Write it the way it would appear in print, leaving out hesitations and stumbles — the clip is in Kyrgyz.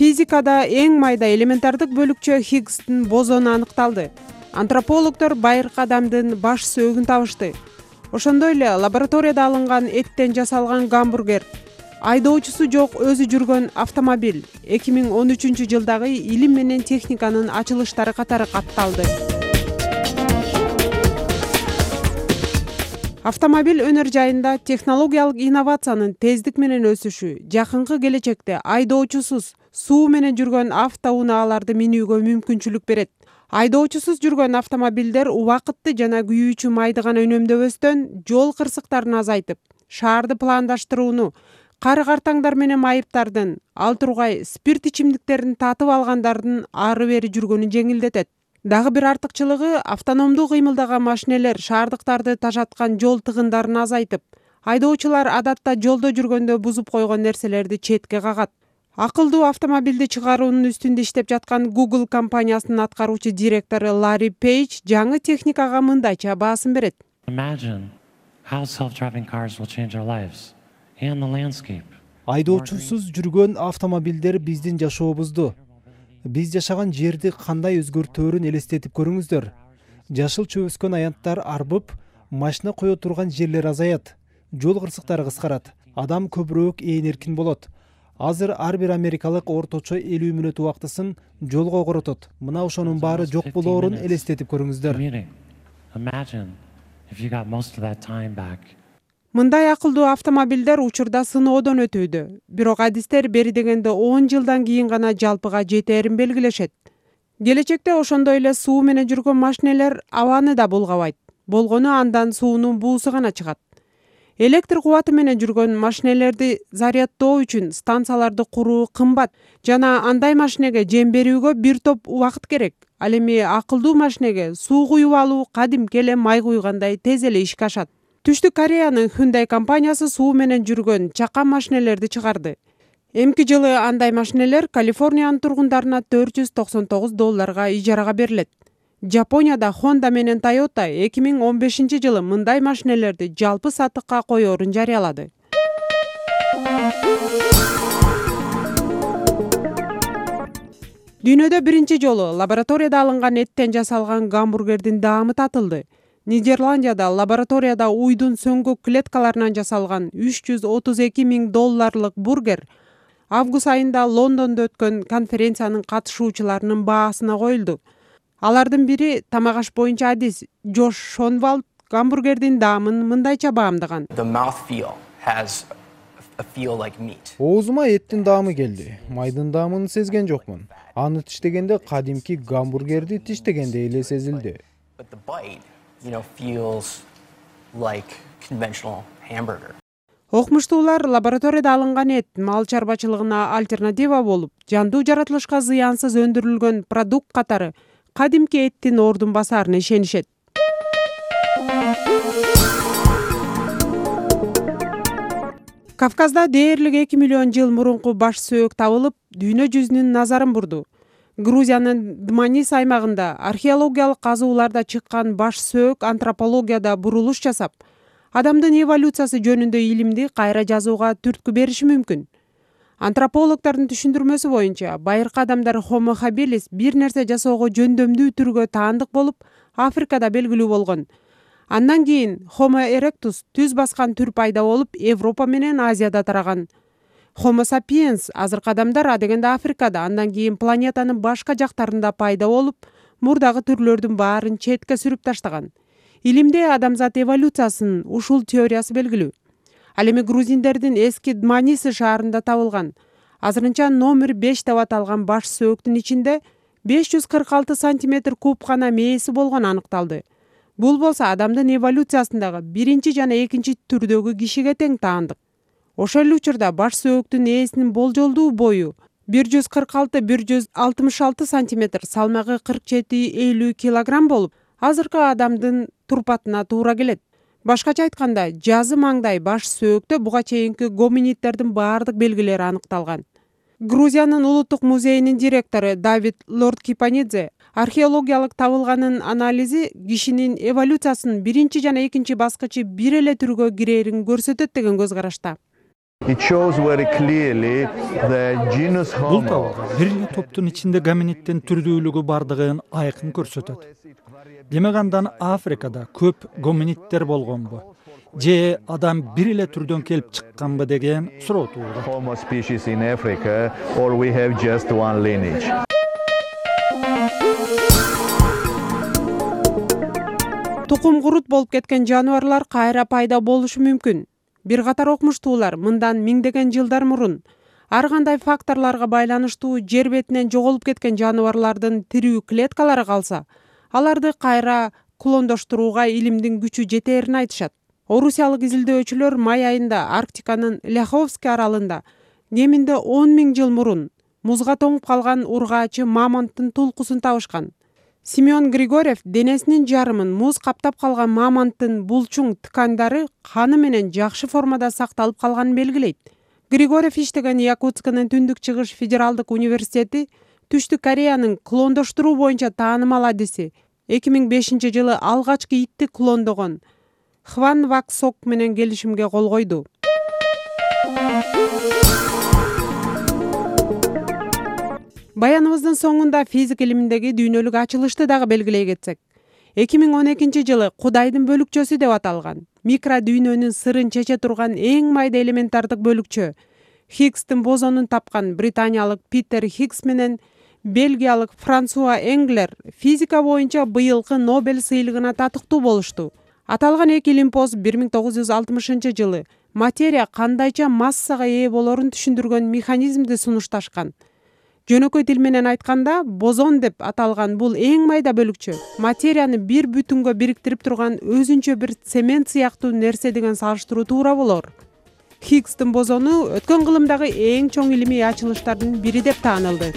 Физикада эң майда элементардык бөлүкчө Хиггстин бозону аныкталды. Антропологдор байыркы адамдын баш сөөгүн табышты. Ошондой эле лабораторияда алынган эттен жасалган гамбургер, айдоочусу жок өзү жүргөн автомобиль 2013 жылдагы илим менен техниканын ачылыштары катары катталды. Автомобиль өнөр жайында технологиялык инновациянын тездик менен өсүшү жакынкы келечекте айдоочусуз суу менен жүргөн автоунааларды минүүгө мүмкүнчүлүк берет. Айдоочусуз жүргөн автомобилдер убакытты жана күйүүчү майды гана үнөмдөбөстөн жол кырсыктарын азайтып, шаарды пландаштырууну, кары-картаңдар менен майыптардын, ал тургай спирт ичимдиктерин татып алгандардын ары-бери жүргөнүн жеңилдетет. Дагы бир артыкчылыгы автономдуу кыймылдаган машинелер шаардыктарды тажаткан жол тыгындарын азайтып, айдоочулар адатта жолдо жүргөндө бузуп койгон нерселерди четке кагат. Акылдуу автомобилди чыгаруунун үстүндө иштеп жаткан Google компаниясынын аткаруучу директору Ларри Пейдж жаңы техникага мындайча баасын берет. Айдоочусуз жүргөн автомобилдер биздин жашообузду, биз жашаган жерди кандай өзгөртөөрүн элестетип көрүңүздөр. Жашылча өскөн аянттар арбып, машина кое турган жерлер азаят, жол кырсыктары кыскарат, адам көбүрөөк ээн эркин болот. Азыр ар бир америкалык орточо 50 мүнөт убактысын жолго коротот. Мына ошонун баары жок болоорун элестетип көрүңүздөр. Мындай акылдуу автомобилдер учурда сыноодон өтүүдө. Бирок адистер бери дегенде 10 жылдан кийин гана жалпыга жетээрин белгилешет. Келечекте ошондой эле суу менен жүргөн машинелер абаны да булгабайт. Болгону андан суунун буусу гана чыгат. Электр кубаты менен жүргөн машинелерди заряддоо үчүн станцияларды куруу кымбат жана андай машинеге жем берүүгө бир топ убакыт керек. Ал эми акылдуу машинеге суу куюп алуу кадимки эле май куйгандай тез эле ишке ашат. Түштүк Кореянын Hyundai компаниясы суу менен жүргөн чакан машинелерди чыгарды. Эмки жылы андай машинелер Калифорниянын тургундарына $499 ижарага берилет. Жапонияда Honda менен Toyota 2015 жылы мындай машинелерди жалпы сатыкка коёрун жарыялады. Дүйнөдө биринчи жолу лабораторияда алынган эттен жасалган гамбургердин даамы татылды. Нидерландияда лабораторияда уйдун сөңгү клеткаларынан жасалган $332 000 бургер август айында Лондондо өткөн конференциянын катышуучуларынын баасына коюлду. Алардын бири тамак-аш боюнча адис Джош Шонвалд гамбургердин даамын мындайча баамдаган. Оозума эттин даамы келди. Майдын даамын сезген жокмун. Аны тиштегенде кадимки гамбургерди тиштегендей эле сезилди. Окумуштуулар лабораторияда алынган эт мал чарбачылыгына альтернатива болуп, жандуу жаратылышка зыянсыз өндүрүлгөн продукт катары кадимки эттин ордун басарына ишенишет. Кавказда дээрлик 2 миллион жыл мурунку баш сөөк табылып, дүйнө жүзүнүн назарын бурду. Грузиянын Дманис аймагында археологиялык казууларда чыккан баш сөөк антропологияда бурулуш жасап, адамдын эволюциясы жөнүндө илимди кайра жазууга түрткү бериши мүмкүн. Антропологдордун түшүндүрмөсү боюнча, байыркы адамдар Homo habilis бир нерсе жасоого жөндөмдүү түргө таандык болуп, Африкада белгилүү болгон. Андан кийин Homo erectus түз баскан түр пайда болуп, Европа менен Азияда тараган. Homo sapiens азыркы адамдар адегенде Африкада, андан кийин планетанын башка жактарында пайда болуп, мурдагы түрлөрдүн баарын четке сүрүп таштаган. Илимде адамзат эволюциясынын ушул теориясы белгилүү. Ал эми грузиндердин эски Дманис шаарында табылган. Азырынча номер 5 деп аталган баш сөөктүн ичинде 546 сантиметр куб гана мээси болгону аныкталды. Бул болсо адамдын эволюциясындагы биринчи жана экинчи түрдөгү кишиге тең таандык. Ошол эле учурда баш сөөктүн ээсинин болжолдуу бою 146-166 сантиметр, салмагы 47-50 килограмм болуп, азыркы адамдын турпатына туура келет. Башкача айтканда, жазы маңдай баш сөөктө буга чейинки гоминиддердин баардык белгилери аныкталган. Грузиянын улуттук музейинин директору Давид Лорд-Кипанидзе археологиялык табылганын анализи кишинин эволюциясынын биринчи жана экинчи баскычы бир эле түргө кирерин көрсөтөт деген көз карашта. Бул табылга бир эле топтун ичинде гоминиддин түрдүүлүгү бардыгын айкын көрсөтөт. Демек андан Африкада көп гоминиддер болгонбу же адам бир эле түрдөн келип чыкканбы деген суроо туулат. Тукум курут болуп кеткен жаныбарлар кайра пайда болушу мүмкүн. Бир катар окумуштуулар мындан миңдеген жылдар мурун ар кандай факторлорго байланыштуу жер бетинен жоголуп кеткен жаныбарлардын тирүү клеткалары калса, аларды кайра клондоштурууга илимдин күчү жетээрин айтышат. Орусиялык изилдөөчүлөр май айында Арктиканын Ляховский аралында кеминде 10 000 жыл мурун музга тоңуп калган ургаачы мамонттун тулкусун табышкан. Семен Григорьев денесинин жарымын муз каптап калган мамонттун булчуң ткандары каны менен жакшы формада сакталып калганын белгилейт. Григорьев иштеген Якутсканын Түндүк Чыгыш федералдык университети Түштүк Кореянын клондоштуруу боюнча таанымал адиси 2005 жылы алгачкы итти клондогон Хван Вак Сок менен келишимге кол койду. Баяныбыздын соңунда физика илиминдеги дүйнөлүк ачылышты дагы белгилей кетсек, 2012 жылы Кудайдын бөлүкчөсү деп аталган микродүйнөнүн сырын чече турган эң майда элементардык бөлүкчө Хиггстин бозонун тапкан британиялык Питер Хиггс менен бельгиялык Франсуа Энглер физика боюнча быйылкы Нобель сыйлыгына татыктуу болушту. Аталган эки илимпоз 1960 жылы материя кандайча массага ээ болорун түшүндүргөн механизмди сунушташкан. Жөнөкөй тил менен айтканда, бозон деп аталган бул эң майда бөлүкчө материяны бир бүтүнгө бириктирип турган өзүнчө бир цемент сыяктуу нерсе деген салыштыруу туура болор. Хиггстин бозону өткөн кылымдагы эң чоң илимий ачылыштардын бири деп таанылды.